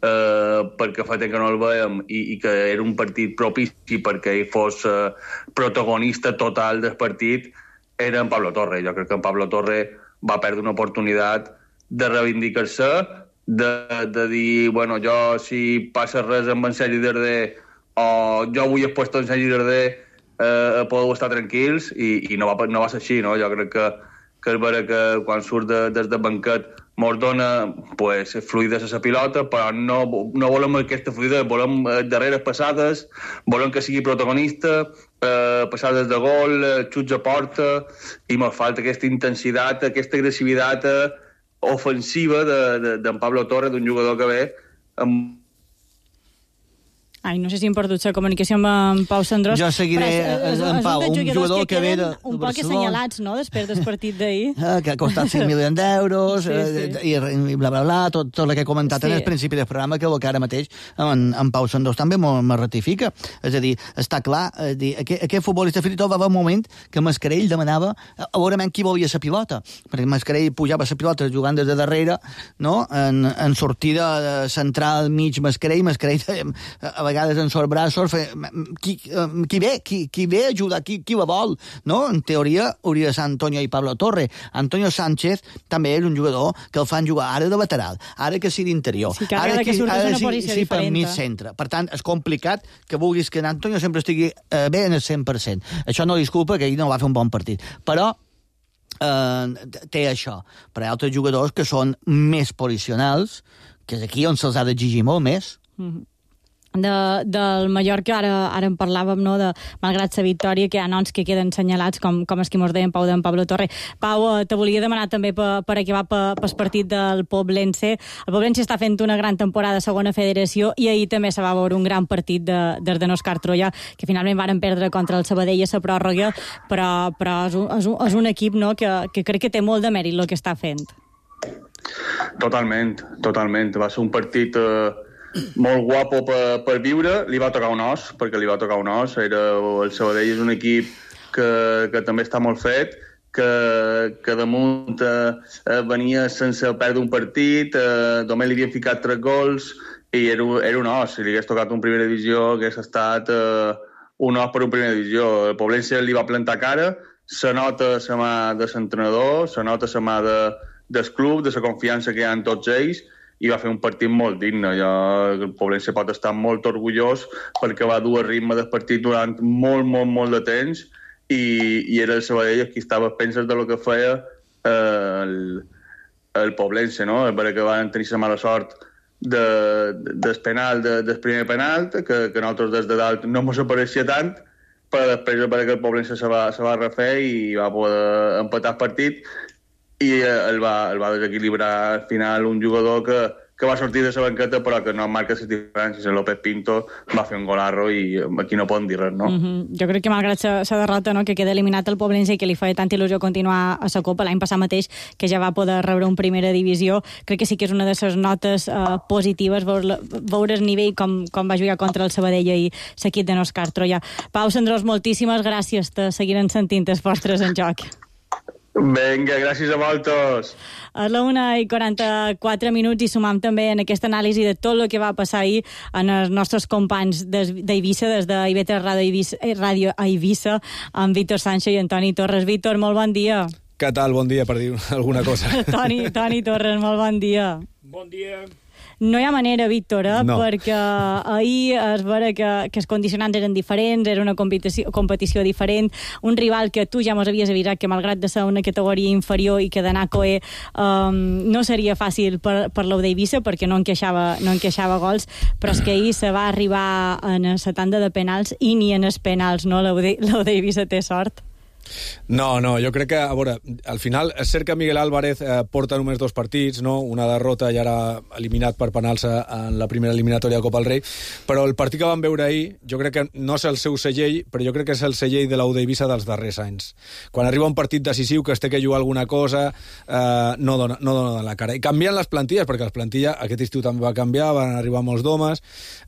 perquè fa temps que no el veiem i que era un partit propici perquè ell fos protagonista total del partit, era en Pablo Torre. Jo crec que en Pablo Torre va perdre una oportunitat de reivindicar-se, de dir, bueno, jo si passa res amb en Sergi Darder o jo avui he puesto en Sergi Darder podeu estar tranquils i no va ser així, no? Jo crec que és vera que quan surt des del banquet mos dona fluidesa a la pilota, però no volem aquesta fluidesa, volem darreres passades, volem que sigui protagonista, passades de gol, xuts a porta, i mos falta aquesta intensitat, aquesta agressivitat ofensiva d'en Pablo Torre, d'un jugador que ve amb... Ai, no sé si hem perdut la comunicació amb en Pau Sandrós. Jo seguiré en Pau, un jugador que ve de un poc assenyalats, no?, després del partit d'ahir. Que ha costat 5 milions d'euros, i bla, bla, bla, tot el que he comentat en el principi del programa, que ara mateix en Pau Sandrós també me ratifica. És a dir, està clar, aquest futbolista fins i tot va haver un moment que Mascarell demanava a veure qui volia la pilota, perquè Mascarell pujava la pilota jugant des de darrere, no?, en sortida central mig Mascarell a vegades en sobrebraços, qui ve a ajudar, qui la vol, no? En teoria hauria de ser Antonio i Pablo Torre. Antonio Sánchez també és un jugador que el fan jugar ara de lateral, ara que sigui d'interior, ara que sigui per mig centre. Per tant, és complicat que vulguis que Antonio sempre estigui bé en el 100%. Això no disculpa que ell no va fer un bon partit, però té això. Però hi ha altres jugadors que són més posicionals, que és aquí on se'ls ha d'exigir molt més. del Mallorca, ara en parlàvem, no, de, malgrat la victòria, que hi ha noms que queden senyalats, com els que mos deien Pau d'en Pablo Torre. Pau, te volia demanar també per acabar pel partit del Poblense. El Poblense està fent una gran temporada a segona federació i ahir també se va veure un gran partit des de Òscar Troia, que finalment varen perdre contra el Sabadell a la pròrroga, però és un equip, no, que crec que té molt de mèrit el que està fent. Totalment. Va ser un partit molt guapo per viure. Li va tocar un os, perquè li va tocar un os. El Sabadell és un equip que també està molt fet, que damunt venia sense perdre un partit, només li havien ficat 3 gols i era un os. Si li hagués tocat un primera divisió hagués estat un os per un primera divisió. El Poblense li va plantar cara, se nota la mà de l'entrenador, se nota la mà del club, de la confiança que hi ha en tots ells, i va fer un partit molt digne. El Poblense pot estar molt orgullós perquè va dur a ritme del partit durant molt de temps i era el Sabadell qui estava a penses de lo que feia el Poblense, no? Perquè van tenir la mala sort del penal, del primer penal, que nosaltres des de dalt no ens apareixia tant, però després perquè el Poblense se va refer i va poder empatar el partit i el va desequilibrar al final un jugador que va sortir de la banqueta però que no marca les diferències. El López Pinto va fer un golarro i aquí no poden dir res, no? Jo crec que malgrat la derrota, no, que queda eliminat el Poblense i que li feia tanta il·lusió continuar a la Copa l'any passat mateix, que ja va poder rebre un primera divisió, crec que sí que és una de les notes positives veure el nivell com va jugar contra el Sabadell i l'equip de Òscar Troia. Pau Sandrós, moltíssimes gràcies, te seguirem sentint els vostres en joc. Vinga, gràcies a vosaltres. A la 1:44 i sumam també en aquesta anàlisi de tot el que va passar ahir en els nostres companys d'Eivissa, des de IB3 Ràdio a Eivissa, amb Víctor Sancho i Antoni Torres. Víctor, molt bon dia. Què tal? Bon dia, per dir alguna cosa. Toni Torres, molt bon dia. Bon dia. No hi ha manera, Víctor, No. perquè ahir es veure que els condicionants eren diferents, era una competició diferent, un rival que tu ja mos havies avisat que malgrat de ser una categoria inferior i que d'anar a Coe no seria fàcil per l'Ou d'Eivissa perquè no encaixava gols, però és que ahir se va arribar en la tanda de penals i ni en els penals, no? L'Ou d'Eivissa té sort. No, jo crec que, a veure, al final és cert que Miguel Álvarez porta només 2 partits, no? Una derrota i ara eliminat per penals en la primera eliminatòria de Copa del Rei, però el partit que vam veure ahir, jo crec que no és el seu segell, però jo crec que és el segell de l'Ou d'Eivissa dels darrers anys. Quan arriba un partit decisiu que es té que jugar alguna cosa, no dona la cara. I canvien les plantilles, perquè les plantilles aquest estiu també va canviar, van arribar molts d'homes,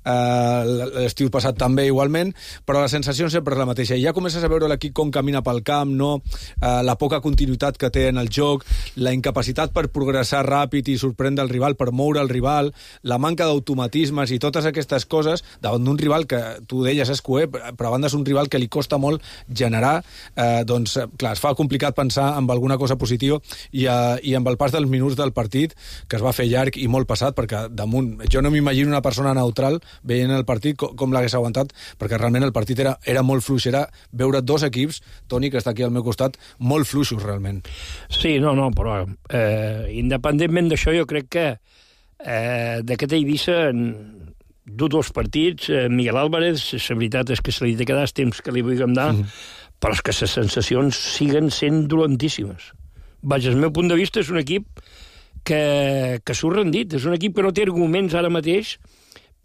l'estiu passat també igualment, però la sensació sempre és la mateixa. I ja comences a veure l'equip com camina pel camp, no? La poca continuïtat que té en el joc, la incapacitat per progressar ràpid i sorprendre el rival, per moure el rival, la manca d'automatismes i totes aquestes coses davant d'un rival que, tu deies, és Coe, però a banda és un rival que li costa molt generar, doncs, clar, es fa complicat pensar en alguna cosa positiva i amb el pas dels minuts del partit, que es va fer llarg i molt passat, perquè damunt, jo no m'imagino una persona neutral veient el partit com l'hagués aguantat, perquè realment el partit era molt fluix, era veure 2 equips, Toni, que està aquí al meu costat, molt fluixos, realment. Sí, no, però independentment d'això, jo crec que d'aquest Eivissa du 2 partits, Miguel Álvarez, la veritat és que se li ha de quedar el temps que li vulguem dar, però és que les sensacions siguen sent dolentíssimes. Vaja, el meu punt de vista és un equip que s'ho ha rendit, és un equip que no té arguments ara mateix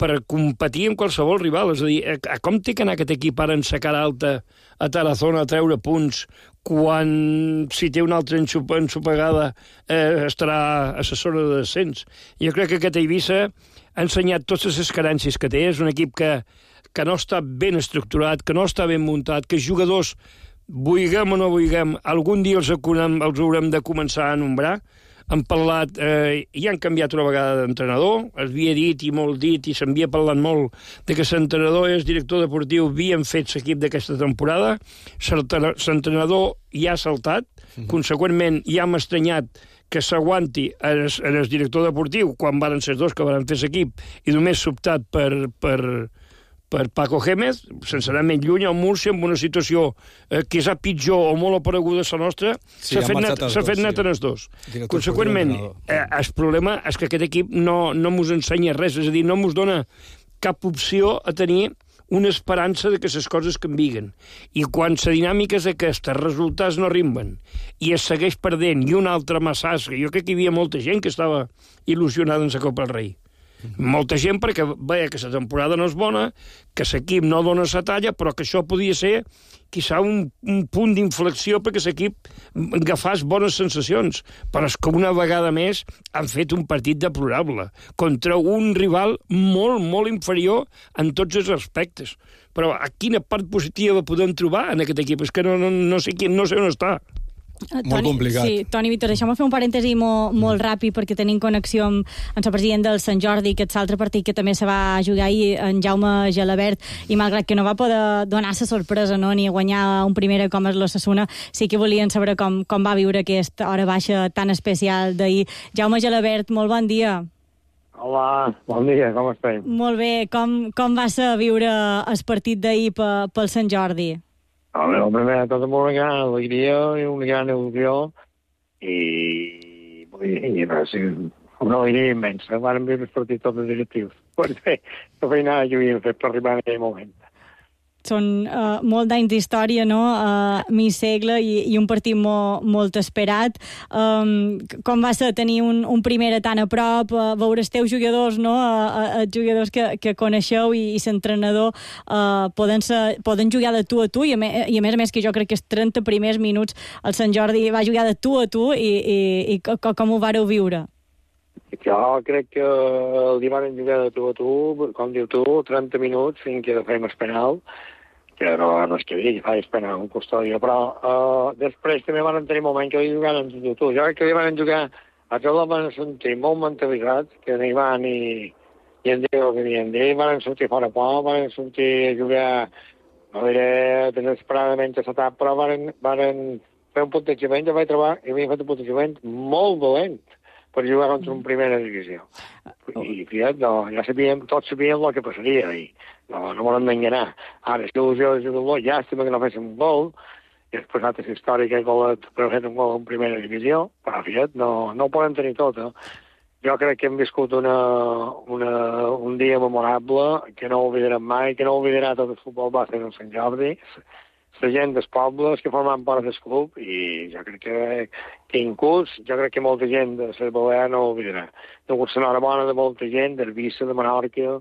per competir amb qualsevol rival. És a dir, com té que anar aquest equip ara en sa cara alta a Tarazona a treure punts quan, si té una altra ensopegada, estarà a la zona de descens? Jo crec que aquest Eivissa ha ensenyat totes les carències que té. És un equip que no està ben estructurat, que no està ben muntat, que jugadors, vulguem o no vulguem, algun dia els haurem de començar a nombrar. Han parlat, i han canviat una vegada d'entrenador, es havia dit i molt dit i s'havia parlat molt de que l'entrenador i el director deportiu havien fet l'equip d'aquesta temporada, l'entrenador ja ha saltat, conseqüentment ja hem estranyat que s'aguanti en el director deportiu quan van ser 2 que van fer l'equip i només s'optat per Paco Gémez, sense anar més lluny, al Múrcia, amb una situació que és pitjor o molt apareguda a la nostra, s'ha fet net en els 2. Conseqüentment, el problema és que aquest equip no mos ensenya res, és a dir, no mos dona cap opció a tenir una esperança de que les coses canvien. I quan la dinàmica és aquesta, els resultats no arriben, i es segueix perdent, i una altra massasca, jo crec que hi havia molta gent que estava il·lusionada en la Copa del Rei. Molta gent perquè veia que la temporada no és bona, que l'equip no dona la talla, però que això podia ser, quizà, un punt d'inflexió perquè l'equip agafés bones sensacions. Però és que una vegada més han fet un partit deplorable contra un rival molt, molt inferior en tots els aspectes. Però a quina part positiva podem trobar en aquest equip? És que no sé on està. Molt complicat. Sí, Toni, Víctor, deixeu-me fer un parèntesi molt ràpid perquè tenim connexió amb el president del Sant Jordi, que és l'altre partit que també se va jugar ahir, en Jaume Gelabert, i malgrat que no va poder donar la sorpresa, no, ni guanyar un primera com és l'Osasuna, sí que volien saber com va viure aquesta hora baixa tan especial d'ahir. Jaume Gelabert, molt bon dia. Hola, bon dia, com estem? Molt bé, com va ser viure el partit d'ahir pel Sant Jordi? El primer de tot amb una gran alegria i una gran il·lusió i una alegria immensa. Vam viure els partits tots directius. Perquè la feinada que havíem fet per arribar en aquell moment. Són molt d'anys d'història, no? Mig segle i un partit molt esperat. Com va ser tenir un primer tan a prop, veure els teus jugadors, no? Els jugadors que coneixeu i l'entrenador poden jugar de tu a tu i a més que jo crec que els 30 primers minuts el Sant Jordi va jugar de tu a tu i com ho vareu viure? Jo crec que el van jugar de tu a tu, com diu tu, 30 minuts fins que fem el penal, que no és que digui, fa el penal un custòdia, però després també van tenir moments que jugaren de tu a tu. Jo crec que van jugar, a tots van sentir molt mentalitzats, que n'hi van i en dir el que havien dit, van sortir fora por, van sortir a jugar, no diré desesperadament a l'etapa, però van fer un puntejament, jo vaig trobar que havien fet un puntejament molt dolent per jugar contra una primera divisió. I, fiat, ja sabíem, tots sabíem el que passaria, i no volem enganar. Ara, si il·lusió de jugador, llàstima que no féssim un gol, i és passat aquesta història que he golat per fer un gol en primera divisió, però, fiat, no ho podem tenir tot, Jo crec que hem viscut un dia memorable que no oblidarem mai, que no oblidarà tot el futbol base del Sant Jordi, la gent dels pobles que formen part del club, i jo crec que inclús, jo crec que molta gent de la Balear no ho oblidarà. Hi ha hagut l'enhorabona de molta gent, d'Eivissa, de Menorca,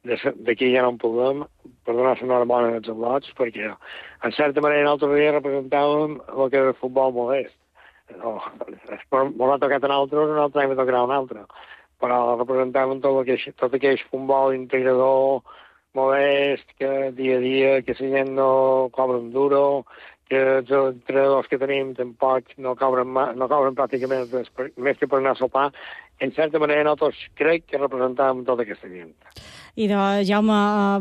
d'aquí ja no en podem, per donar l'enhorabona als al·lots, perquè, en certa manera, l'altre dia representàvem el que era el futbol modest. M'ho ha tocat a nosaltres, un altre any m'ha tocat a un altre, però representàvem tot aquell futbol integrador, modest, que dia a dia, que la gent no cobra un duro, que els entrenadors que tenim tampoc no cobren pràcticament més que per anar a sopar. En certa manera, nosaltres crec que representàvem tota aquesta gent. I Jaume,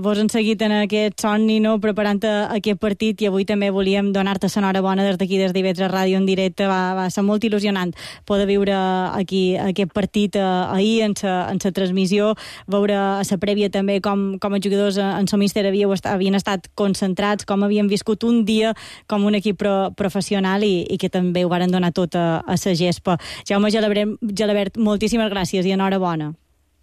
vos han seguit en aquest somni, no?, preparant aquest partit, i avui també volíem donar-te l'enhorabona des d'aquí, des d'IV3 Ràdio en directe. Va ser molt il·lusionant poder viure aquí aquest partit ahir en la transmissió, veure a la prèvia també com els jugadors en el míster havien estat concentrats, com havien viscut un dia com un equip professional i que també ho varen donar tot a la gespa. Jaume Gelabert, moltíssimes gràcies i enhorabona.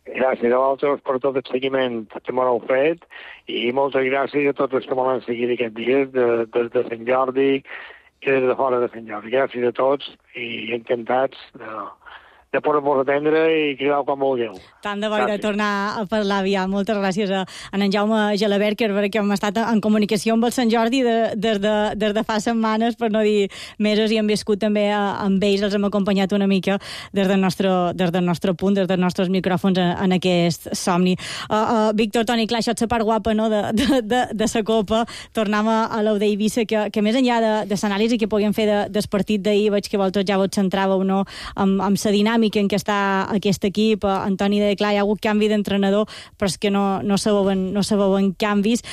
Gràcies a vosaltres per tot el seguiment que m'heu fet i moltes gràcies a tots els que m'han seguit aquests dies des de Sant Jordi i des de fora de Sant Jordi. Gràcies a tots i encantats de poder-vos atendre i cridar quan vulgueu. Tant de bo de tornar a parlar aviat. Moltes gràcies a en Jaume Gelabert, que hem estat en comunicació amb el Sant Jordi des de fa setmanes, per no dir mesos, i hem viscut també amb ells, els hem acompanyat una mica des del nostre punt, des dels nostres micròfons en aquest somni. Víctor, Toni, clar, això és la part guapa, no?, de la Copa. Tornem a l'Eivissa, que més enllà de l'anàlisi que puguem fer del partit d'ahir, veig que vosaltres ja vos centràveu, no?, amb la dinàmica en què està aquest equip. Antoni deia, clar, hi ha hagut canvi d'entrenador, però és que no se veuen canvis.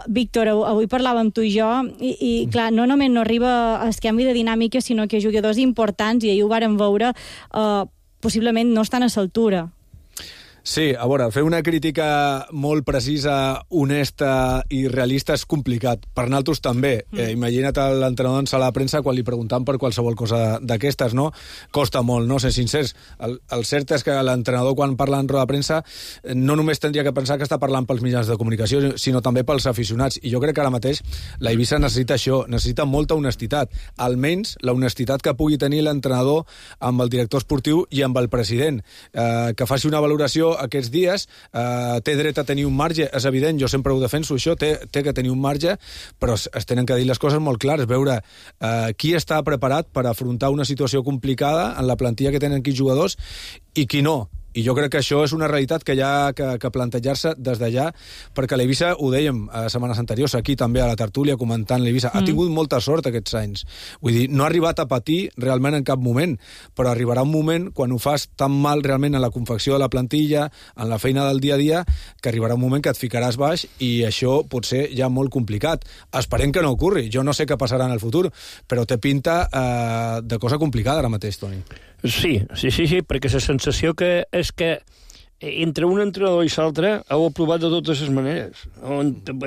Víctor, avui parlàvem tu i jo, i clar, no només no arriba el canvi de dinàmica, sinó que jugadors importants, i ahir ho vàrem veure, possiblement no estan a l'altura. Sí, a veure, fer una crítica molt precisa, honesta i realista és complicat. Per nosaltres també. Imagina't l'entrenador en sala de premsa quan li preguntaven per qualsevol cosa d'aquestes, no? Costa molt, no? Ser sincers. El cert és que l'entrenador, quan parla en roda de premsa, no només tindria que pensar que està parlant pels mitjans de comunicació, sinó també pels aficionats. I jo crec que ara mateix la Eivissa necessita això, necessita molta honestitat. Almenys la honestitat que pugui tenir l'entrenador amb el director esportiu i amb el president. Que faci una valoració aquests dies, té dret a tenir un marge, és evident, jo sempre ho defenso això, té que tenir un marge, però es tenen que dir les coses molt clares, veure qui està preparat per afrontar una situació complicada en la plantilla que tenen aquí jugadors i qui no. I jo crec que això és una realitat que hi ha que plantejar-se des d'allà, perquè l'Eivissa, ho dèiem a setmanes anteriors, aquí també a la tertúlia comentant l'Eivissa, ha tingut molta sort aquests anys. Vull dir, no ha arribat a patir realment en cap moment, però arribarà un moment, quan ho fas tan mal realment en la confecció de la plantilla, en la feina del dia a dia, que arribarà un moment que et ficaràs baix i això pot ser ja molt complicat. Esperem que no ocorri. Jo no sé què passarà en el futur, però té pinta de cosa complicada ara mateix, Toni. Sí, perquè la sensació que és que entre un entrenador i l'altre heu aprovat de totes les maneres,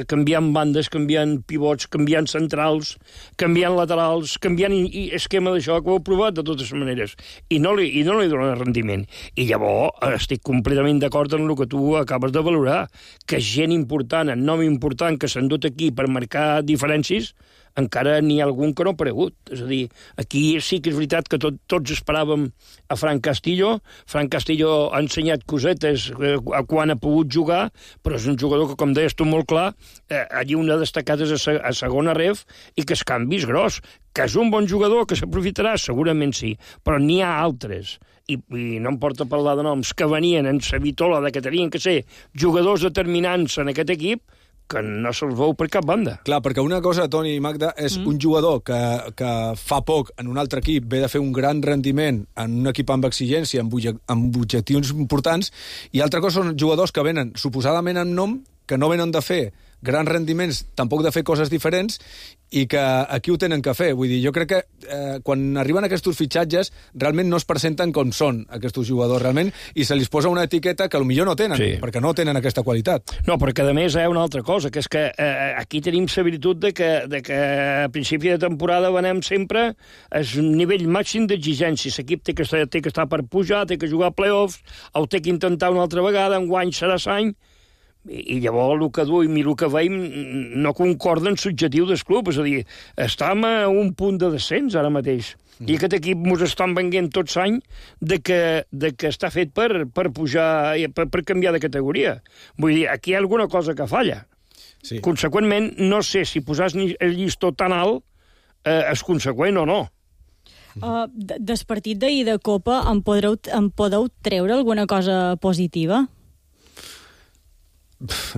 canviant bandes, canviant pivots, canviant centrals, canviant laterals, canviant esquema d'això, que ho heu provat de totes les maneres, i no li dona rendiment. I llavors estic completament d'acord amb el que tu acabes de valorar, que gent important, en nom important, que s'han dut aquí per marcar diferències, encara n'hi ha algun que no ha aparegut. És a dir, aquí sí que és veritat que tots esperàvem a Fran Castillo. Fran Castillo ha ensenyat cosetes quan ha pogut jugar, però és un jugador que, com deies tu molt clar, allí una destacada és a segona ref i que es canvis gros. Que és un bon jugador, que s'aprofitarà, segurament sí, però n'hi ha altres. I no em porta a parlar de noms que venien en sa vitola de que tenien que ser jugadors determinants en aquest equip, que no se'ls veu per cap banda. Clar, perquè una cosa, Toni i Magda, és un jugador que fa poc en un altre equip ve de fer un gran rendiment en un equip amb exigència, amb objectius importants, i altra cosa són jugadors que venen suposadament en nom, que no venen de fer grans rendiments, tampoc de fer coses diferents, i que aquí ho tenen que fer. Vull dir, jo crec que quan arriben aquests fitxatges realment no es presenten com són aquests jugadors realment, i se li posa una etiqueta que potser no tenen, perquè no tenen aquesta qualitat. No, perquè a més hi ha una altra cosa, que és que aquí tenim la virtut de que a principi de temporada venem sempre el nivell màxim d'exigència. L'equip té que estar per pujar, té que jugar a playoffs, ho té que intentar una altra vegada, enguany serà l'any, i llavors el que duim i el que veiem no concorda amb l'objectiu del club. És a dir, estem a un punt de descens ara mateix. I aquest equip ens estan venguent tots l'any de que està fet per pujar, per canviar de categoria. Vull dir, aquí hi ha alguna cosa que falla. Sí. Conseqüentment, no sé si posar el llistó tan alt és conseqüent o no. Del partit d'ahir de Copa em podeu treure alguna cosa positiva?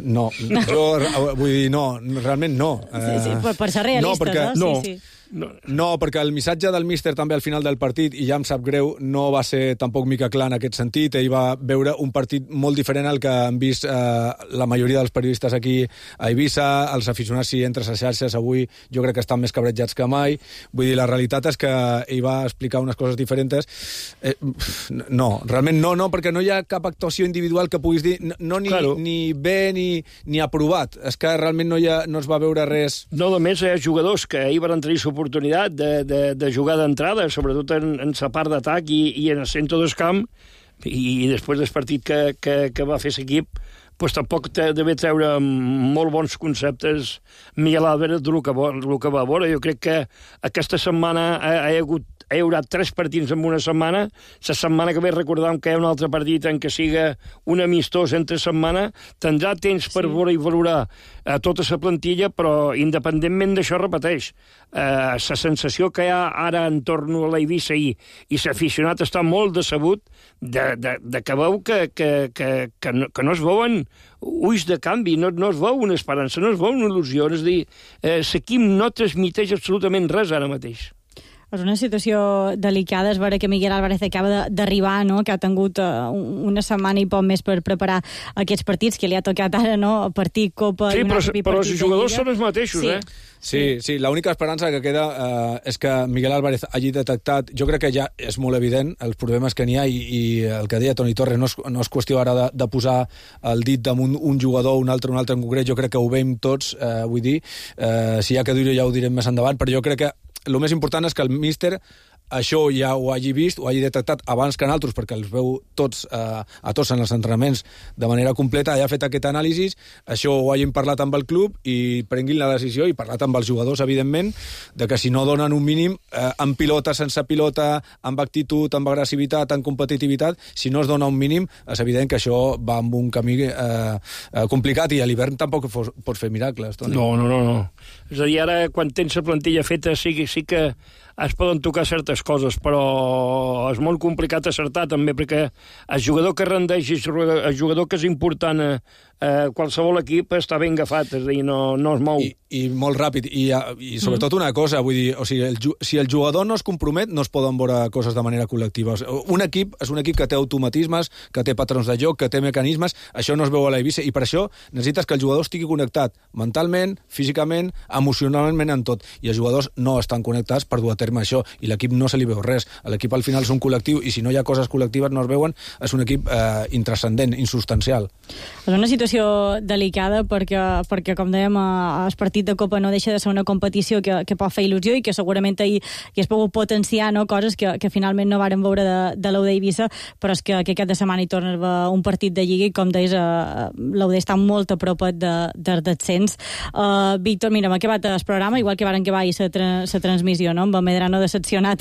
No, jo vull dir, no, realment no. Sí, per ser realistes, no? Sí. No, perquè el missatge del míster també al final del partit, i ja em sap greu, no va ser tampoc mica clar en aquest sentit. Ell va veure un partit molt diferent al que han vist la majoria dels periodistes aquí a Eivissa. Els aficionats, si entres a xarxes avui, jo crec que estan més cabrejats que mai. Vull dir, la realitat és que ell va explicar unes coses diferents. No, realment no, perquè no hi ha cap actuació individual que puguis dir ni bé ni aprovat. És que realment no es va veure res. No, a més, hi ha jugadors que ahir van tenir oportunitat de jugar d'entrada, sobretot en la part d'atac i en el centre del camp, i després del partit que va fer l'equip, pues tampoc deve treure molt bons conceptes Miguel Álvarez del que va veure. Jo crec que aquesta setmana hi haurà 3 partits en una setmana. La setmana que ve recordam que hi ha un altre partit en què siga un amistós entre setmana. Tindrà temps per veure i valorar tota la plantilla, però independentment d'això, repeteix, la sensació que hi ha ara en torn a l'Eivissa i l'aficionat està molt decebut de que veu que no es veuen ulls de canvi, no es veu una esperança, no es veu una il·lusió. És a dir, l'equip no transmiteix absolutament res ara mateix. És una situació delicada, és vera que Miguel Álvarez acaba d'arribar, no? Que ha tingut una setmana i poc més per preparar aquests partits, que li ha tocat ara, no? Partit, Copa... Sí, i un altre però els jugadors són els mateixos, Sí, l'única esperança que queda és que Miguel Álvarez hagi detectat, jo crec que ja és molt evident els problemes que n'hi ha i el que deia Toni Torres no és qüestió ara de posar el dit damunt un jugador o un altre en concret, jo crec que ho veiem tots, vull dir, si hi ha que dir-ho ja ho direm més endavant, però jo crec que el més important és que el míster això ja ho hagi vist, ho hagi detectat abans que nosaltres, perquè els veu tots a tots en els entrenaments de manera completa, ha fet aquest anàlisi, això ho hagin parlat amb el club i prenguin la decisió i parlat amb els jugadors, evidentment, de que si no donen un mínim, amb pilota, sense pilota, amb actitud, amb agressivitat, amb competitivitat, si no es dona un mínim, és evident que això va amb un camí complicat i a l'hivern tampoc pots fer miracles, Toni. No. És a dir, ara, quan tens la plantilla feta, sí que es poden tocar certes coses, però és molt complicat acertar també, perquè el jugador que rendeix, el jugador que és important a qualsevol equip està ben agafat, és a dir, no es mou. I molt ràpid, i sobretot una cosa, vull dir, o sigui, si el jugador no es compromet, no es poden veure coses de manera col·lectiva. Un equip és un equip que té automatismes, que té patrons de joc, que té mecanismes, això no es veu a l'Eivissa, i per això necessites que el jugador estigui connectat mentalment, físicament, emocionalment, en tot, i els jugadors no estan connectats per dur a terme això, i l'equip no se li veu res. L'equip al final és un col·lectiu, i si no hi ha coses col·lectives no es veuen, és un equip intranscendent, insubstancial. És una situació delicada perquè com dèiem, el partit de Copa no deixa de ser una competició que pot fer il·lusió i que segurament ahir es pogut potenciar, no? Coses que finalment no varen veure de l'UD Eivissa, però és que aquest de setmana hi torna a haver un partit de Lliga i, com deies, l'UD està molt a prop del descens. Víctor, mira, m'ha acabat el programa, igual que varen acabar la transmissió, no? Amb el Medrano decepcionat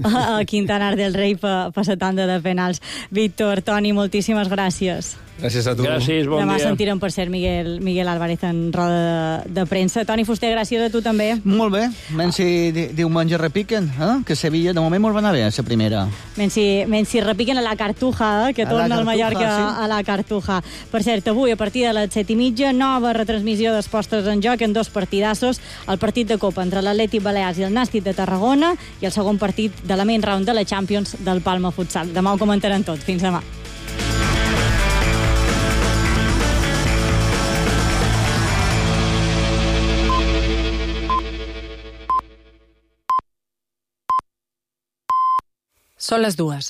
a Quintanar del Rei per la tanda de penals. Víctor, Toni, moltíssimes gràcies. Gràcies a tu. Gràcies, bon Demà dia. sentirem, per cert, Miguel Álvarez en roda de premsa. Toni Fuster, gràcies a tu també. Molt bé. Menys si diumenge repiquen, que Sevilla de moment molt va anar bé, la primera. Menys si repiquen a la Cartuja, que torna el Mallorca a la Cartuja. Per cert, avui, a partir de les 7:30, nova retransmissió dels postres en joc en 2 partidassos. El partit de Copa entre l'Atlètic Balears i el Nàstic de Tarragona i el segon partit de la main round de la Champions del Palma Futsal. Demà ho comentaran tot. Fins demà. Són les 2.